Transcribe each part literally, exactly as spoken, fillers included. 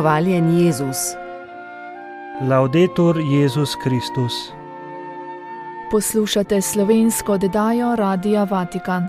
Hvaljen Jezus. Laudetur Jezus Kristus. Poslušate slovensko oddajo Radia Vatikan.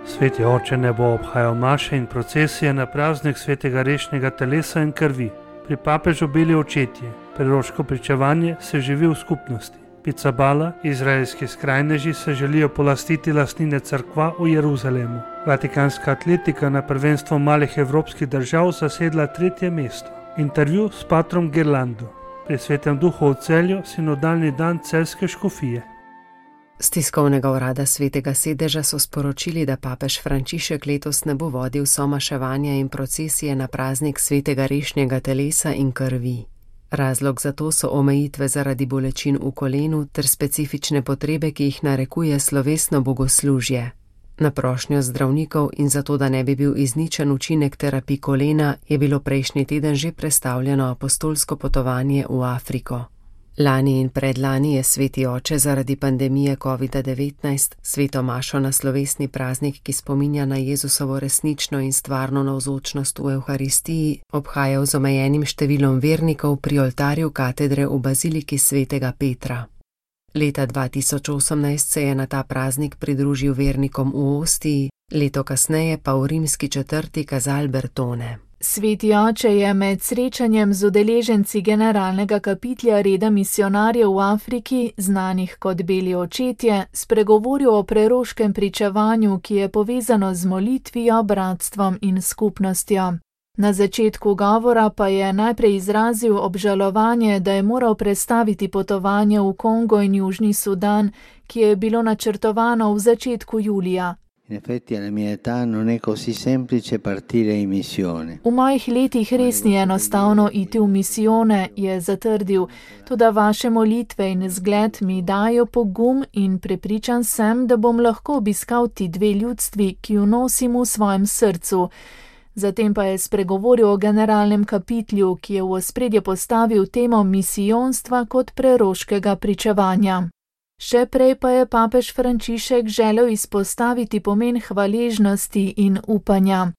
Sveti oče ne bo obhajal maše in procesije na praznik svetega rešnjega telesa in krvi. Pri papežu bili očetje, preroško pričevanje se živi v skupnosti. Picabala, izraelski skrajneži se želijo polastiti lastnine cerkva v Jeruzalemu. Vatikanska atletika na prvenstvo malih evropskih držav zasedla tretje mesto. Intervju s patrom Gerlando. Pri Svetem duhu v Celju sinodalni dan celjske škofije. Z tiskovnega urada Svetega sedeža so sporočili, da papež Frančišek letos ne bo vodil somaševanja in procesije na praznik svetega rešnjega telesa in krvi. Razlog za to so omejitve zaradi bolečin v kolenu ter specifične potrebe, ki jih narekuje slovesno bogoslužje. Na prošnjo zdravnikov in zato, da ne bi bil izničen učinek terapij kolena, je bilo prejšnji teden že prestavljeno apostolsko potovanje v Afriko. Lani in predlani je sveti oče zaradi pandemije kovida devetnajst sveto mašo na slovesni praznik, ki spominja na Jezusovo resnično in stvarno navzočnost v Evharistiji, obhajal z omejenim številom vernikov pri oltarju katedre v baziliki svetega Petra. Leta dva tisoč osemnajst se je na ta praznik pridružil vernikom v Ostiji, leto kasneje pa v rimski četrti Casal Bertone. Sveti oče je med srečanjem z udeleženci generalnega kapitlja reda misionarjev v Afriki, znanih kot beli očetje, spregovoril o preroškem pričevanju, ki je povezano z molitvijo, bratstvom in skupnostjo. Na začetku govora pa je najprej izrazil obžalovanje, da je moral prestaviti potovanje v Kongo in Južni Sudan, ki je bilo načrtovano v začetku julija. In effetti alla mia età non è così semplice partire in missione. V mojih letih res ni enostavno iti v misijone, je zatrdil, toda vaše molitve in zgled mi dajo pogum in prepričan sem, da bom lahko obiskal ti dve ljudstvi, ki ju nosim v svojem srcu. Zatem pa je spregovoril o generalnem kapitlju, ki je v ospredje postavil temo misijonstva kot preroškega pričevanja. Še prej pa je papež Frančišek želel izpostaviti pomen hvaležnosti in upanja.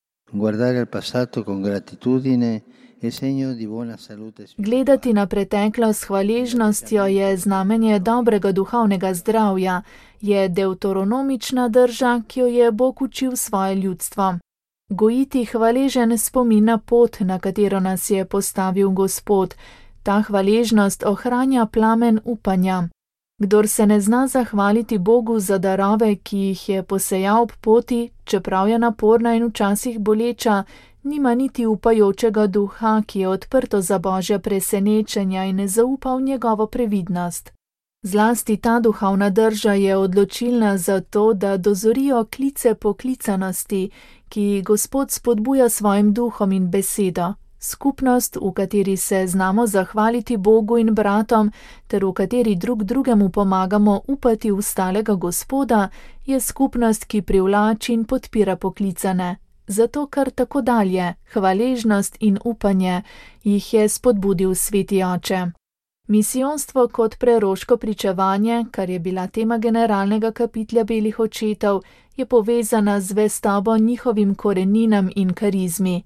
Gledati na preteklost s hvaležnostjo je znamenje dobrega duhovnega zdravja, je deuteronomična drža, ki jo je Bog učil svoje ljudstvo. Gojiti hvaležen spomin na pot, na katero nas je postavil Gospod. Ta hvaležnost ohranja plamen upanja. Kdor se ne zna zahvaliti Bogu za darove, ki jih je posejal ob poti, čeprav je naporna in včasih boleča, nima niti upajočega duha, ki je odprto za Božja presenečenja in ne zaupa v njegovo previdnost. Zlasti ta duhovna drža je odločilna za to, da dozorijo klice poklicanosti, ki Gospod spodbuja svojim duhom in besedo. Skupnost, v kateri se znamo zahvaliti Bogu in bratom, ter v kateri drug drugemu pomagamo upati v stalega Gospoda, je skupnost, ki privlači in podpira poklicane. Zato kar tako dalje, hvaležnost in upanje, jih je spodbudil sveti oče. Misijonstvo kot preroško pričevanje, kar je bila tema generalnega kapitlja belih očetov, je povezana z zvestobo njihovim koreninam in karizmi.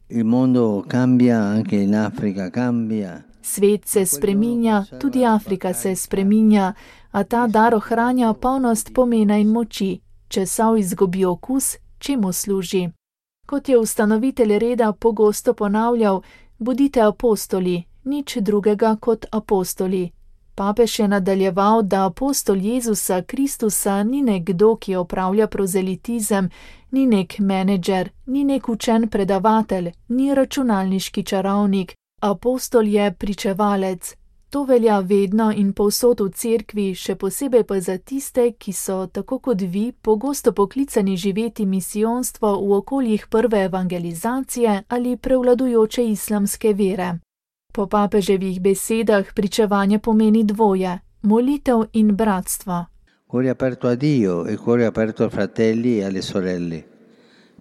Svet se spreminja, tudi Afrika se spreminja, a ta dar ohranja polnost pomena in moči. Če sol izgubi okus, čemu služi? Kot je ustanovitelj reda pogosto ponavljal, bodite apostoli, nič drugega kot apostoli. Papež je nadaljeval, da apostol Jezusa Kristusa ni nekdo, ki opravlja prozelitizem, ni nek menedžer, ni nek učen predavatelj, ni računalniški čarovnik. Apostol je pričevalec. To velja vedno in povsod v cerkvi, še posebej pa za tiste, ki so, tako kot vi, pogosto poklicani živeti misijonstvo v okoljih prve evangelizacije ali prevladujoče islamske vere. Po papeževih besedah pričevanje pomeni dvoje, molitev in bratstvo. Cuore aperto a Dio e cuore aperto ai fratelli e alle sorelle.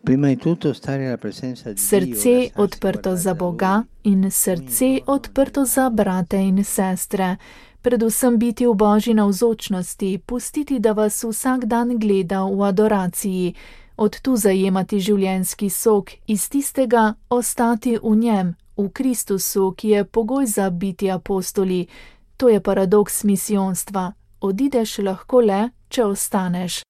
Prima di tutto stare alla presenza di Dio. Srce odprto za Boga in srce odprto za brate in sestre. Predvsem biti v Božji navzočnosti, pustiti, da vas vsak dan gleda v adoraciji. Od tu zajemati življenjski sok, iz tistega ostati v njem, v Kristusu, ki je pogoj za biti apostoli. To je paradoks misijonstva. Odideš lahko le, če ostaneš.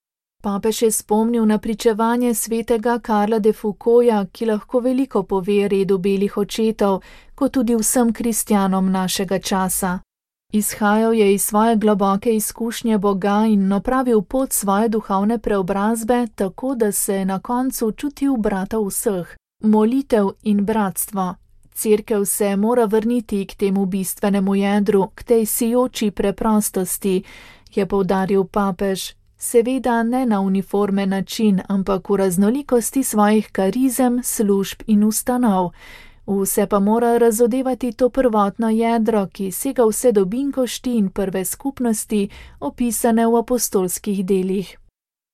Papež je spomnil na pričevanje svetega Karla de Foucaulta, ki lahko veliko pove redu belih očetov, kot tudi vsem kristjanom našega časa. Izhajal je iz svoje globoke izkušnje Boga in opravil pot svoje duhovne preobrazbe, tako da se je na koncu čutil brata vseh. Molitev in bratstvo. Cerkev se mora vrniti k temu bistvenemu jedru, k tej sijoči preprostosti, je poudaril papež. Seveda ne na uniformen način, ampak v raznolikosti svojih karizem, služb in ustanov. Vse pa mora razodevati to prvotno jedro, ki sega vse do binkošti in prve skupnosti, opisane v apostolskih delih.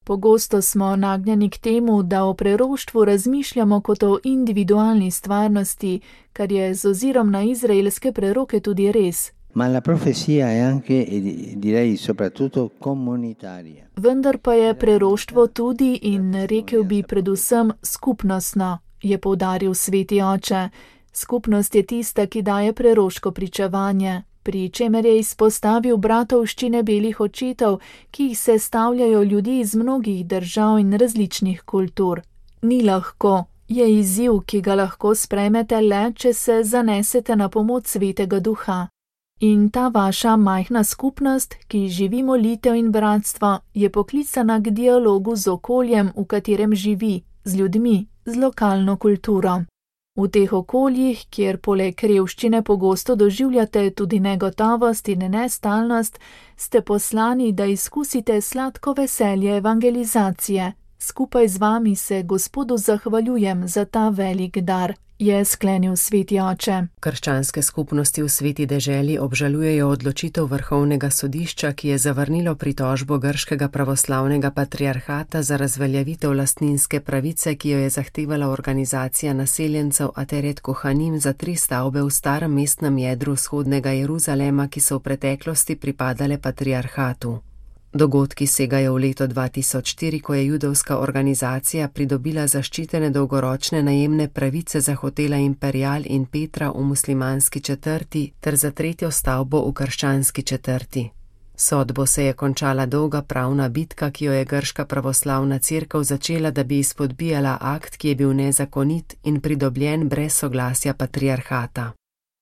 Pogosto smo nagnjeni k temu, da o preroštvu razmišljamo kot o individualni stvarnosti, kar je z ozirom na izraelske preroke tudi res. Ma la profezia è anche, e direi soprattutto, comunitaria. Vendar pa je preroštvo tudi in rekel bi predvsem skupnostno, je poudaril sveti oče. Skupnost je tista, ki daje preroško pričevanje, pri čemer je izpostavil bratovščine belih očetov, ki jih sestavljajo ljudje iz mnogih držav in različnih kultur. Ni lahko, je izziv, ki ga lahko sprejmete le, če se zanesete na pomoč svetega duha. In ta vaša majhna skupnost, ki živi molitev in bratstvo, je poklicana k dialogu z okoljem, v katerem živi, z ljudmi, z lokalno kulturo. V teh okoljih, kjer poleg revščine pogosto doživljate tudi negotovost in nestalnost, ste poslani, da izkusite sladko veselje evangelizacije. Skupaj z vami se Gospodu zahvaljujem za ta velik dar, je sklenil sveti oče. Krščanske skupnosti v sveti deželi obžalujejo odločitev Vrhovnega sodišča, ki je zavrnilo pritožbo grškega pravoslavnega patriarhata za razveljavitev lastninske pravice, ki jo je zahtevala organizacija naseljencev Ateret Kohanim za tri stavbe v starem mestnem jedru vzhodnega Jeruzalema, ki so v preteklosti pripadale patriarhatu. Dogodki segajo v leto dva tisoč štiri, ko je judovska organizacija pridobila zaščitene dolgoročne najemne pravice za hotela Imperial in Petra v muslimanski četrti ter za tretjo stavbo v krščanski četrti. Sodbo se je končala dolga pravna bitka, ki jo je grška pravoslavna cerkev začela, da bi izpodbijala akt, ki je bil nezakonit in pridobljen brez soglasja patriarhata.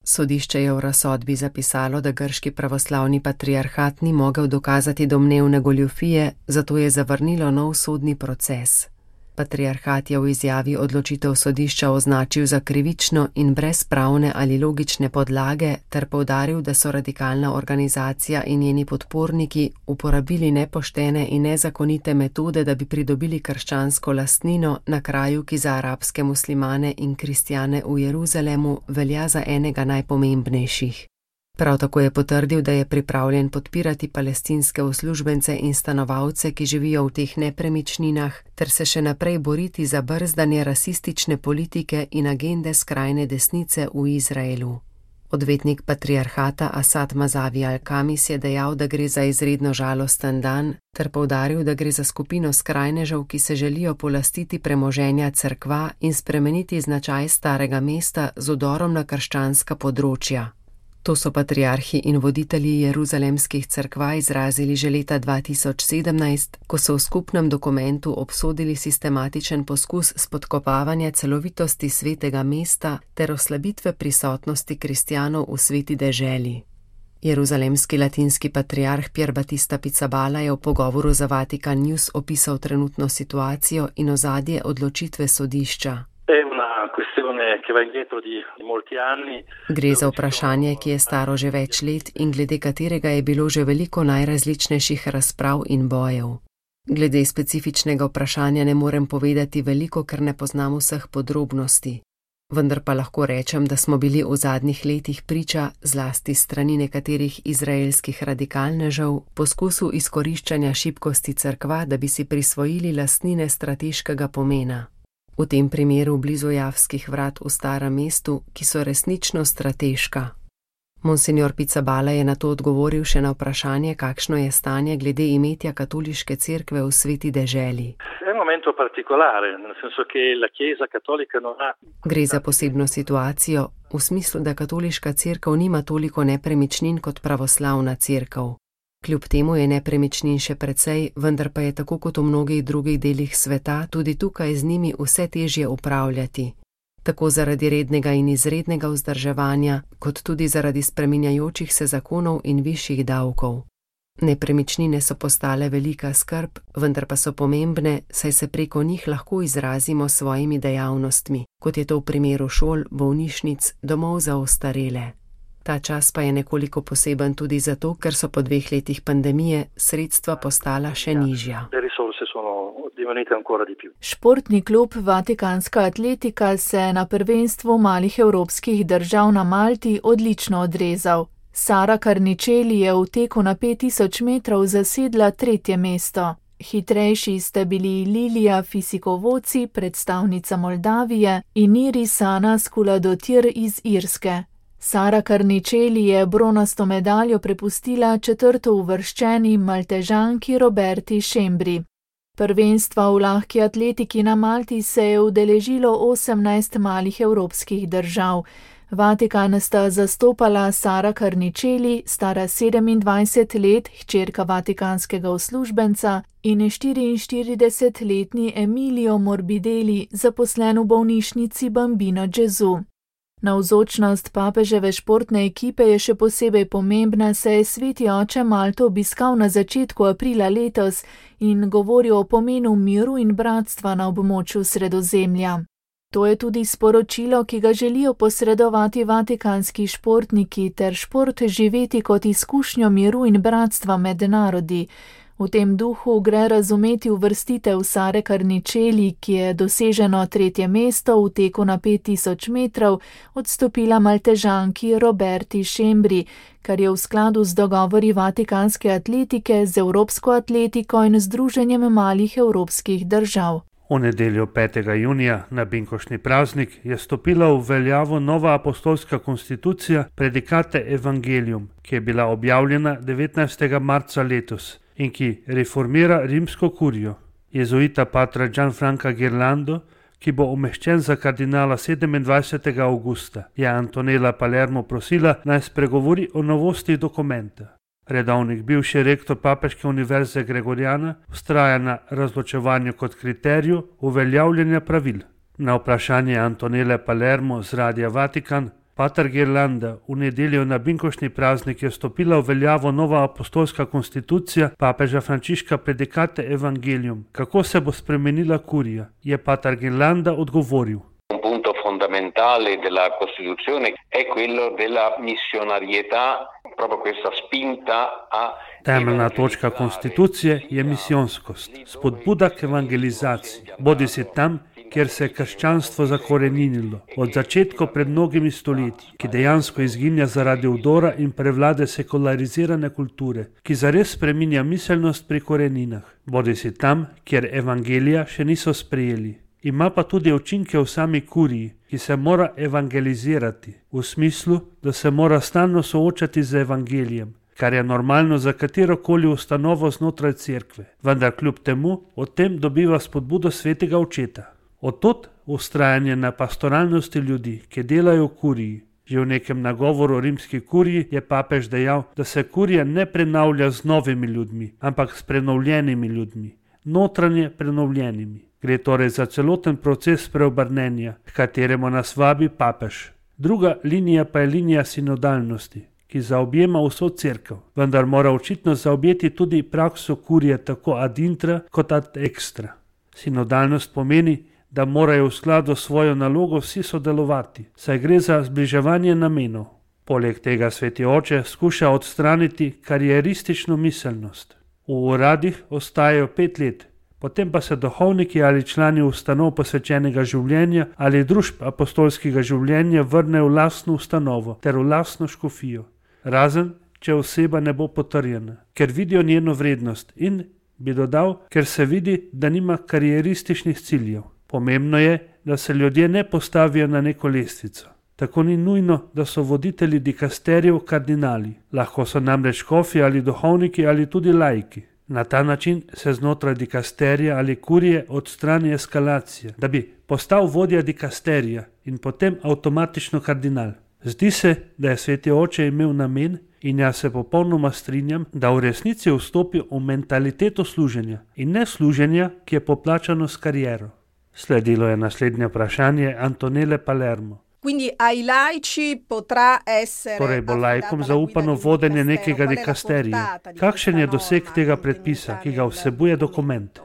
Sodišče je v razsodbi zapisalo, da grški pravoslavni patriarhat ni mogel dokazati domnevne goljufije, zato je zavrnilo nov sodni proces. Patriarhat je v izjavi odločitev sodišča označil za krivično in brez pravne ali logične podlage ter poudaril, da so radikalna organizacija in njeni podporniki uporabili nepoštene in nezakonite metode, da bi pridobili krščansko lastnino na kraju, ki za arabske muslimane in kristjane v Jeruzalemu velja za enega najpomembnejših. Prav tako je potrdil, da je pripravljen podpirati palestinske uslužbence in stanovalce, ki živijo v teh nepremičninah, ter se še naprej boriti za brzdanje rasistične politike in agende skrajne desnice v Izraelu. Odvetnik patriarhata Asad Mazavi Al-Kamis je dejal, da gre za izredno žalosten dan, ter poudaril, da gre za skupino skrajnežev, ki se želijo polastiti premoženja cerkva in spremeniti značaj starega mesta z udorom na krščanska področja. To so patriarhi in voditelji jeruzalemskih cerkva izrazili že leta dva tisoč sedemnajst, ko so v skupnem dokumentu obsodili sistematičen poskus spodkopavanja celovitosti svetega mesta ter oslabitve prisotnosti kristjanov v sveti deželi. Jeruzalemski latinski patriarh Pier Battista Pizzaballa je v pogovoru za Vatican News opisal trenutno situacijo in ozadje odločitve sodišča. Gre za vprašanje, ki je staro že več let in glede katerega je bilo že veliko najrazličnejših razprav in bojev. Glede specifičnega vprašanja ne morem povedati veliko, ker ne poznam vseh podrobnosti. Vendar pa lahko rečem, da smo bili v zadnjih letih priča, zlasti strani nekaterih izraelskih radikalnežev, poskusu izkoriščanja šibkosti cerkva, da bi si prisvojili lastnine strateškega pomena. V tem primeru blizu Javskih vrat v starem mestu, ki so resnično strateška. Monsignor Pizzaballa je na to odgovoril še na vprašanje, kakšno je stanje glede imetja katoliške cerkve v sveti deželi. Gre za posebno situacijo, v smislu, da katoliška cerkev nima toliko nepremičnin kot pravoslavna cerkev. Kljub temu je nepremičnin še precej, vendar pa je tako kot v mnogih drugih delih sveta tudi tukaj z njimi vse težje upravljati. Tako zaradi rednega in izrednega vzdrževanja, kot tudi zaradi spreminjajočih se zakonov in višjih davkov. Nepremičnine so postale velika skrb, vendar pa so pomembne, saj se preko njih lahko izrazimo s svojimi dejavnostmi, kot je to v primeru šol, bolnišnic, domov za ostarele. Ta čas pa je nekoliko poseben tudi zato, ker so po dveh letih pandemije sredstva postala še nižja. Športni klub Vatikanska atletika se je na prvenstvu malih evropskih držav na Malti odlično odrezal. Sara Carnicelli je v teku na pet tisoč metrov zasedla tretje mesto. Hitrejši sta bili Lilija Fisikovoci, predstavnica Moldavije, in Irisana Skuladotir iz Irske. Sara Carnicelli je bronasto medaljo prepustila četrto uvrščeni Maltežanki Roberti Šembri. Prvenstva v lahki atletiki na Malti se je udeležilo osemnajst malih evropskih držav. Vatikan sta zastopala Sara Carnicelli, stara sedemindvajset let, hčerka vatikanskega uslužbenca, in štiriinštiridesetletni Emilio Morbidelli, zaposlen v bolnišnici Bambino Gesù. Navzočnost papeževe športne ekipe je še posebej pomembna, saj je sveti oče Malto obiskal na začetku aprila letos in govoril o pomenu miru in bratstva na območju Sredozemlja. To je tudi sporočilo, ki ga želijo posredovati vatikanski športniki ter šport živeti kot izkušnjo miru in bratstva med narodi. V tem duhu gre razumeti uvrstitev Sare Carnicelli, ki je doseženo tretje mesto v teku na pet tisoč metrov odstopila Maltežanki Roberti Šembri, kar je v skladu z dogovori vatikanske atletike z Evropsko atletiko in Združenjem malih evropskih držav. V nedeljo petega junija, na binkoštni praznik, je stopila v veljavo nova apostolska konstitucija Predikate Evangelium, ki je bila objavljena devetnajstega marca letos in ki reformira rimsko kurijo. Jezuita patra Gianfranca Ghirlando, ki bo umeščen za kardinala sedemindvajsetega avgusta, je Antonella Palermo prosila, naj spregovori o novosti dokumenta. Redovnik bivši rektor Papeške univerze Gregoriana vztraja na razločevanju kot kriteriju uveljavljanja pravil. Na vprašanje Antonelle Palermo z Radia Vatikan, pater Ghirlanda, v nedeljo na binkoštni praznik je stopila v veljavo nova apostolska konstitucija papeža Frančiška Predikate Evangelium. Kako se bo spremenila kurija, je pater Ghirlanda odgovoril. Un punto fondamentale della Costituzione è quello della missionarietà, proprio questa spinta a... Temeljna točka konstitucije je misijonskost, spodbuda k evangelizaciji, bodisi tam, kjer se je krščanstvo zakoreninilo, od začetka pred mnogimi stoletji, ki dejansko izginja zaradi vdora in prevlade sekularizirane kulture, ki zares spreminja miselnost pri koreninah, bodisi tam, kjer evangelija še niso sprejeli. Ima pa tudi učinke v sami kuriji, ki se mora evangelizirati, v smislu, da se mora stalno soočati z evangelijem, kar je normalno za katerokoli ustanovo znotraj cerkve, vendar kljub temu o tem dobiva spodbudo svetega očeta. Odtot vztrajanje na pastoralnosti ljudi, ki delajo v kuriji. Že v nekem nagovoru rimski kuriji je papež dejal, da se kurija ne prenavlja z novimi ljudmi, ampak s prenovljenimi ljudmi, notranje prenovljenimi. Gre torej za celoten proces preobrnenja, k kateremu nas vabi papež. Druga linija pa je linija sinodalnosti, ki zaobjema vso cerkev, vendar mora očitno zaobjeti tudi prakso kurije tako ad intra kot ad extra. Sinodalnost pomeni, da morajo v skladu s svojo nalogo vsi sodelovati, saj gre za zbliževanje namenov. Poleg tega sveti oče skuša odstraniti karieristično miselnost. V uradih ostajajo pet let, potem pa se duhovniki ali člani ustanov posvečenega življenja ali družb apostolskega življenja vrnejo v lastno ustanovo ter v lastno škofijo, razen če oseba ne bo potrjena, ker vidijo njeno vrednost in, bi dodal, ker se vidi, da nima karierističnih ciljev. Pomembno je, da se ljudje ne postavijo na neko lestvico. Tako ni nujno, da so voditelji dikasterijev kardinali. Lahko so namreč škofi ali duhovniki ali tudi laiki. Na ta način se znotraj dikasterija ali kurije odstrani eskalacija, da bi postal vodja dikasterija in potem avtomatično kardinal. Zdi se, da je sveti oče imel namen, in jaz se popolnoma strinjam, da v resnici vstopi v mentaliteto služenja in ne služenja, ki je poplačano s kariero. Sledilo je naslednje vprašanje Antonele Palermo. Quindi ai laici potrà essere Torej bo laikom zaupano vodenje nekega dikasterija. Kakšen je doseg tega predpisa, ki ga vsebuje dokument?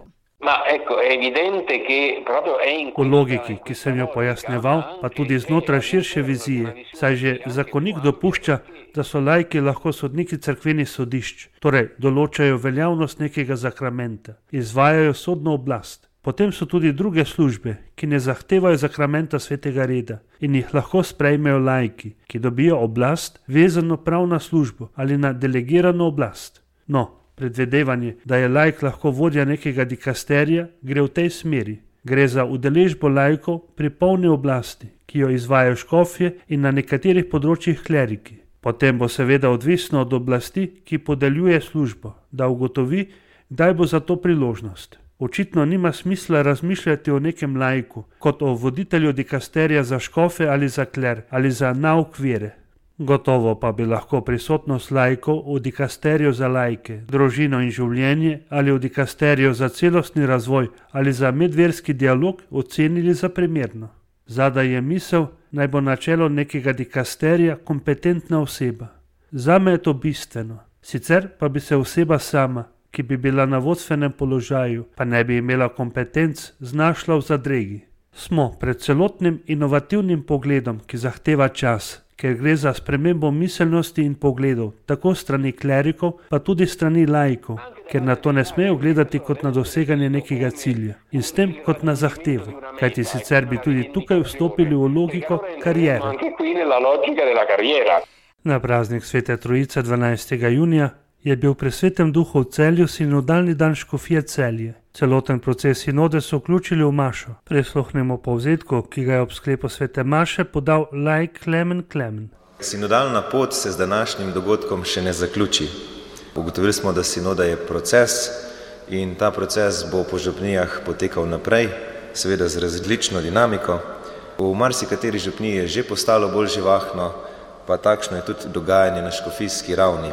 Ma ecco, è evidente che proprio è in V logiki, ki sem jo pojasneval, pa tudi znotraj širše vizije, saj že zakonik dopušča, da so laiki lahko sodniki cerkvenih sodišč, torej določajo veljavnost nekega zakramenta, izvajajo sodno oblast. Potem so tudi druge službe, ki ne zahtevajo zakramenta svetega reda in jih lahko sprejmejo laiki, ki dobijo oblast vezano prav na službo ali na delegirano oblast. No, predvidevanje, da je laik lahko vodja nekega dikasterija, gre v tej smeri. Gre za udeležbo laikov pri polni oblasti, ki jo izvajajo škofje in na nekaterih področjih kleriki. Potem bo seveda odvisno od oblasti, ki podeljuje službo, da ugotovi, kdaj bo za to priložnost. Očitno nima smisla razmišljati o nekem laiku, kot o voditelju dikasterija za škofe ali za kler ali za nauk vere. Gotovo pa bi lahko prisotnost laikov v dikasteriju za laike, družino in življenje ali v dikasteriju za celostni razvoj ali za medverski dialog ocenili za primerno. Zadaj je misel, naj bo na čelu nekega dikasterija kompetentna oseba. Zame je to bistveno. Sicer pa bi se oseba sama, ki bi bila na vodstvenem položaju, pa ne bi imela kompetenc, znašla v zadregi. Smo pred celotnim inovativnim pogledom, ki zahteva čas, ker gre za spremembo miselnosti in pogledov, tako strani klerikov, pa tudi strani laikov, ker na to ne smejo gledati kot na doseganje nekega cilja in s tem kot na zahtevo, kajti sicer bi tudi tukaj vstopili v logiko kariere. Na praznik Svete Trojice dvanajstega junija je bil pri Svetem Duhu v Celju sinodalni dan škofije Celje. Celoten proces sinode so vključili v mašo. Prisluhnemo povzetku, ki ga je ob sklepu svete maše podal laik Klemen Klemen. Sinodalna pot se z današnjim dogodkom še ne zaključi. Ugotovili smo, da sinoda je proces in ta proces bo po župnijah potekal naprej, seveda z različno dinamiko. V marsikateri župniji je že postalo bolj živahno, pa takšno je tudi dogajanje na škofijski ravni.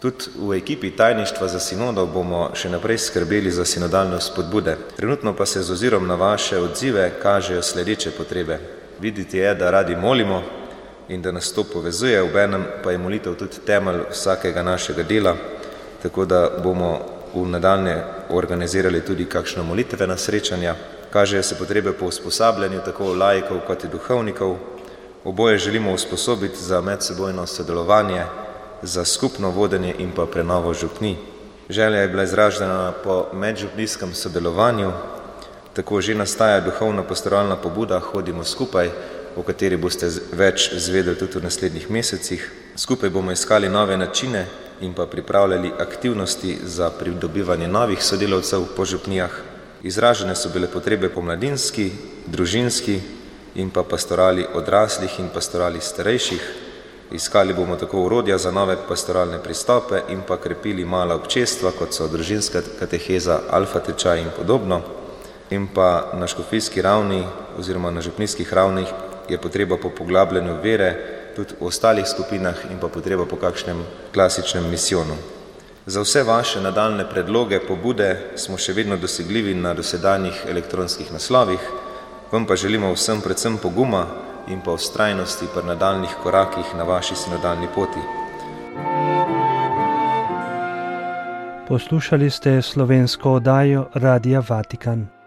Tudi v ekipi tajništva za sinodo bomo še naprej skrbeli za sinodalne spodbude. Trenutno pa se z ozirom na vaše odzive kažejo sledeče potrebe. Videti je, da radi molimo in da nas to povezuje, obenem pa je molitev tudi temelj vsakega našega dela, tako da bomo v nadaljnje organizirali tudi kakšno molitvena srečanja. Kažejo se potrebe po usposabljanju tako laikov kot in duhovnikov. Oboje želimo usposobiti za medsebojno sodelovanje, za skupno vodenje in pa prenovo župnij. Želja je bila izražena po medžupnijskem sodelovanju, tako že nastaja duhovna pastoralna pobuda Hodimo skupaj, o kateri boste več izvedeli tudi v naslednjih mesecih. Skupaj bomo iskali nove načine in pa pripravljali aktivnosti za pridobivanje novih sodelavcev po župnijah. Izražene so bile potrebe po mladinski, družinski in pa pastorali odraslih in pastorali starejših. Iskali bomo tako orodja za nove pastoralne pristope in pa krepili mala občestva, kot so družinska kateheza, alfa tečaj in podobno. In pa na škofijski ravni oziroma na župnijskih ravnih je potreba po poglabljanju vere, tudi v ostalih skupinah in pa potreba po kakšnem klasičnem misijonu. Za vse vaše nadaljne predloge, pobude smo še vedno dosegljivi na dosedanjih elektronskih naslovih, vam pa želimo vsem predvsem poguma in pa vztrajnosti pri nadaljnih korakih na vaši sinodalni poti. Poslušali ste slovensko oddajo Radia Vatikan.